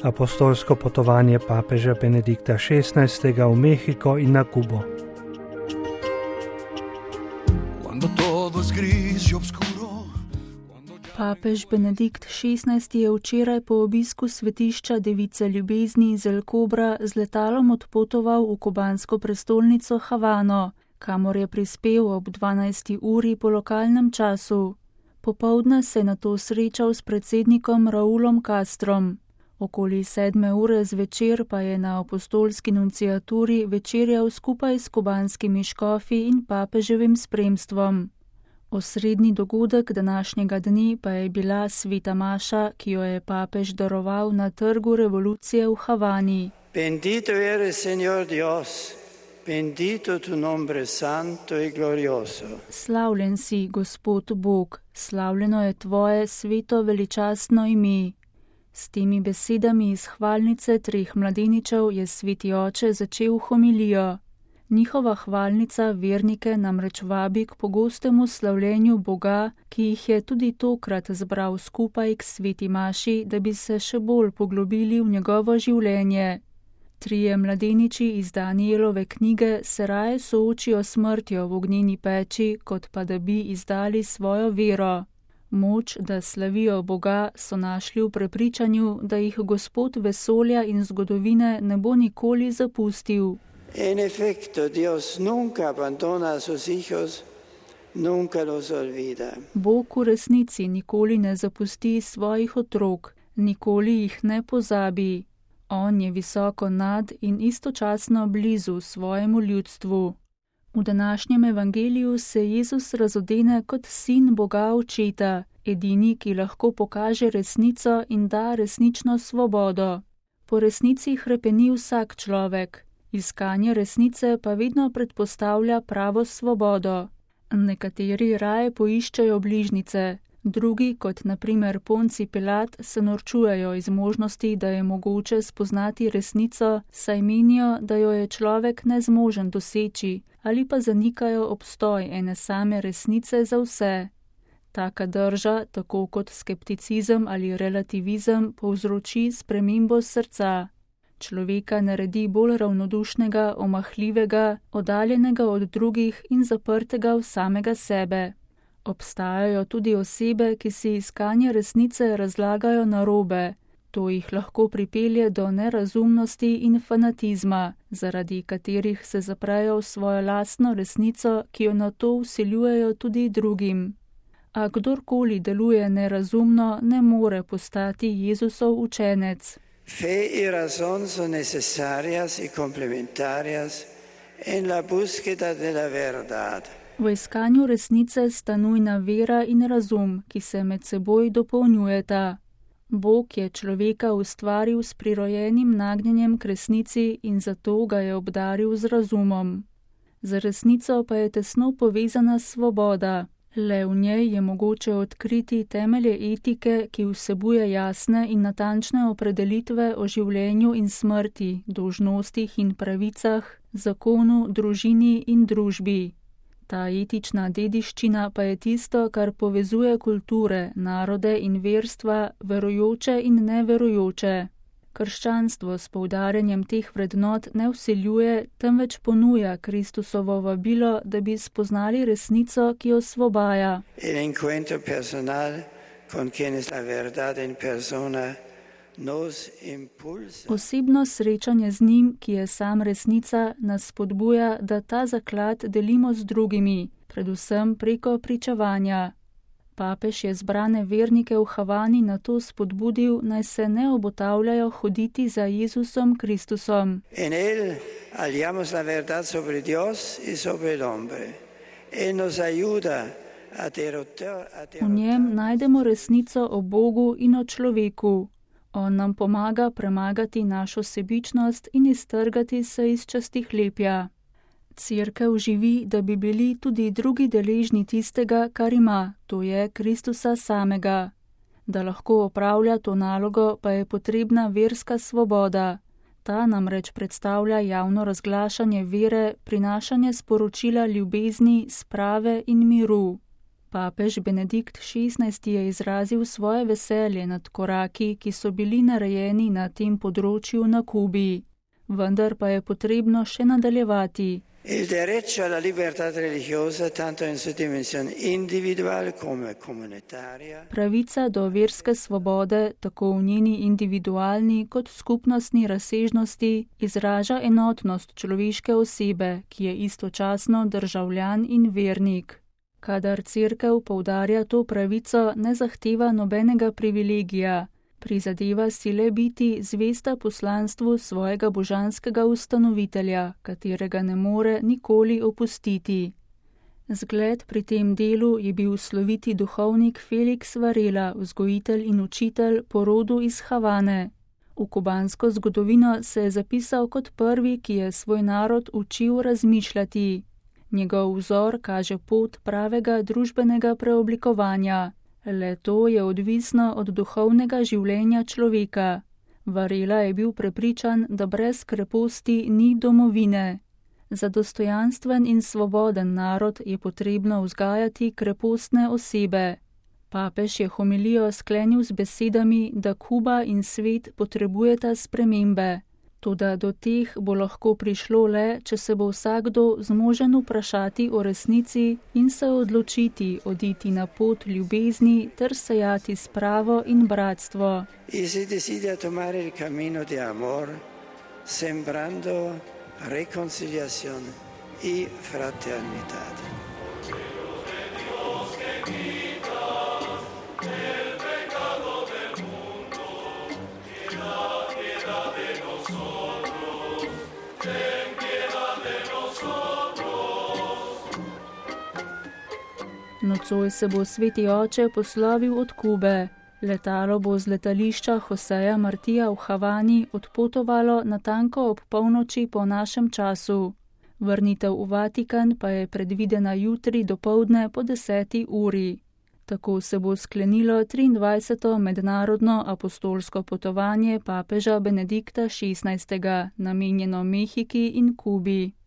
Apostolsko potovanje papeža Benedikta XVI. V Mehiko in na Kubo. Papež Benedikt XVI. Je včeraj po obisku svetišča Device ljubezni iz El Kobra z letalom odpotoval v kubansko prestolnico Havano, kamor je prispel ob 12. uri po lokalnem času. Popoldne se je nato srečal s predsednikom Raulom Castrom. Okoli 7. ure zvečer pa je na apostolski nunciaturi večerjal skupaj s kubanskimi škofi in papeževim spremstvom. Osrednji dogodek današnjega dne pa je bila sveta maša, ki jo je papež daroval na trgu revolucije v Havani. Bendito eres, Señor Dios, bendito tu nombre santo y glorioso. Slavljen si, Gospod Bog, slavljeno je tvoje sveto veličastno ime. S temi besedami iz hvalnice 3 mladeničev je sveti oče začel homilijo. Njihova hvalnica vernike namreč vabi k pogostemu slavljenju Boga, ki jih je tudi tokrat zbral skupaj k sveti maši, da bi se še bolj poglobili v njegovo življenje. 3 mladeniči iz Danielove knjige se raje soočijo s smrtjo v ognjeni peči, kot pa da bi izdali svojo vero. Moč, da slavijo Boga, so našli v prepričanju, da jih Gospod vesolja in zgodovine ne bo nikoli zapustil. En efecto, Dios nunca abandona a sus hijos, nunca los olvida. Bog v resnici nikoli ne zapusti svojih otrok, nikoli jih ne pozabi. On je visoko nad in istočasno blizu svojemu ljudstvu. V današnjem evangeliju se Jezus razodene kot sin Boga Očeta, edini, ki lahko pokaže resnico in da resnično svobodo. Po resnici hrepeni vsak človek. Iskanje resnice pa vedno predpostavlja pravo svobodo. Nekateri raje poiščejo bližnjice, drugi, kot na primer Ponci Pilat, se norčujejo iz možnosti, da je mogoče spoznati resnico, saj menijo, da jo je človek nezmožen doseči, ali pa zanikajo obstoj ene same resnice za vse. Taka drža, tako kot skepticizem ali relativizem, povzroči spremembo srca. Človeka naredi bolj ravnodušnega, omahljivega, oddaljenega od drugih in zaprtega v samega sebe. Obstajajo tudi osebe, ki si iskanje resnice razlagajo narobe. To jih lahko pripelje do nerazumnosti in fanatizma, zaradi katerih se zaprejo v svojo lastno resnico, ki jo nato vsiljujejo tudi drugim. A kdorkoli deluje nerazumno, ne more postati Jezusov učenec. Fe y razón son necesarias y complementarias en la búsqueda de la verdad. V iskanju resnice sta nujna vera in razum, ki se med seboj dopolnjujeta. Bog je človeka ustvaril s prirojenim nagnjenjem k resnici in zato ga je obdaril z razumom. Z resnico pa je tesno povezana svoboda. Le v njej je mogoče odkriti temelje etike, ki vsebuje jasne in natančne opredelitve o življenju in smrti, dolžnostih in pravicah, zakonu, družini in družbi. Ta etična dediščina pa je tisto, kar povezuje kulture, narode in verstva, verujoče in neverujoče. Krščanstvo s poudarjanjem teh vrednot ne vsiljuje, temveč ponuja Kristusovo vabilo, da bi spoznali resnico, ki osvobaja. El encuentro personal con quien es la verdad en persona nos impulsa. Osebno srečanje z njim, ki je sam resnica, nas spodbuja, da ta zaklad delimo z drugimi, predvsem preko pričevanja. Papež je zbrane vernike v Havani nato spodbudil, naj se ne obotavljajo hoditi za Jezusom Kristusom. En él hallamos la verdad sobre Dios y sobre el hombre. Él nos ayuda a V njem najdemo resnico o Bogu in o človeku. On nam pomaga premagati našo sebičnost in iztrgati se iz častihlepja. Cerkev živi, da bi bili tudi drugi deležni tistega, kar ima, to je Kristusa samega. Da lahko opravlja to nalogo, pa je potrebna verska svoboda. Ta namreč predstavlja javno razglašanje vere, prinašanje sporočila ljubezni, sprave in miru. Papež Benedikt XVI je izrazil svoje veselje nad koraki, ki so bili narejeni na tem področju na Kubi. Vendar pa je potrebno še nadaljevati. Il diritto alla libertà religiosa, tanto in sua dimensione individuale come comunitaria. Pravica do verske svobode, tako v njeni individualni kot skupnostni razsežnosti, izraža enotnost človeške osebe, ki je istočasno državljan in vernik. Kadar cerkev poudarja to pravico, ne zahteva nobenega privilegija. Prizadeva si le biti zvesta poslanstvu svojega božanskega ustanovitelja, katerega ne more nikoli opustiti. Zgled pri tem delu je bil sloviti duhovnik Felix Varela, vzgojitelj in učitelj po rodu iz Havane. V kubansko zgodovino se je zapisal kot prvi, ki je svoj narod učil razmišljati. Njegov vzor kaže pot pravega družbenega preoblikovanja. Le to je odvisno od duhovnega življenja človeka. Varela je bil prepričan, da brez kreposti ni domovine. Za dostojanstven in svoboden narod je potrebno vzgajati krepostne osebe. Papež je homilijo sklenil z besedami, da Kuba in svet potrebujeta spremembe. Toda do teh bo lahko prišlo le, če se bo vsakdo zmožen vprašati o resnici in se odločiti oditi na pot ljubezni ter sejati spravo in bratstvo. E si desidera tomare il cammino di amor, sembrando reconciliazione e fraternità. Nocoj se bo sveti oče poslovil od Kube. Letalo bo z letališča Joseja Martija v Havani odpotovalo natanko ob polnoči po našem času. Vrnitev v Vatikan pa je predvidena jutri dopoldne po 10. uri. Tako se bo sklenilo 23. mednarodno apostolsko potovanje papeža Benedikta XVI, namenjeno Mehiki in Kubi.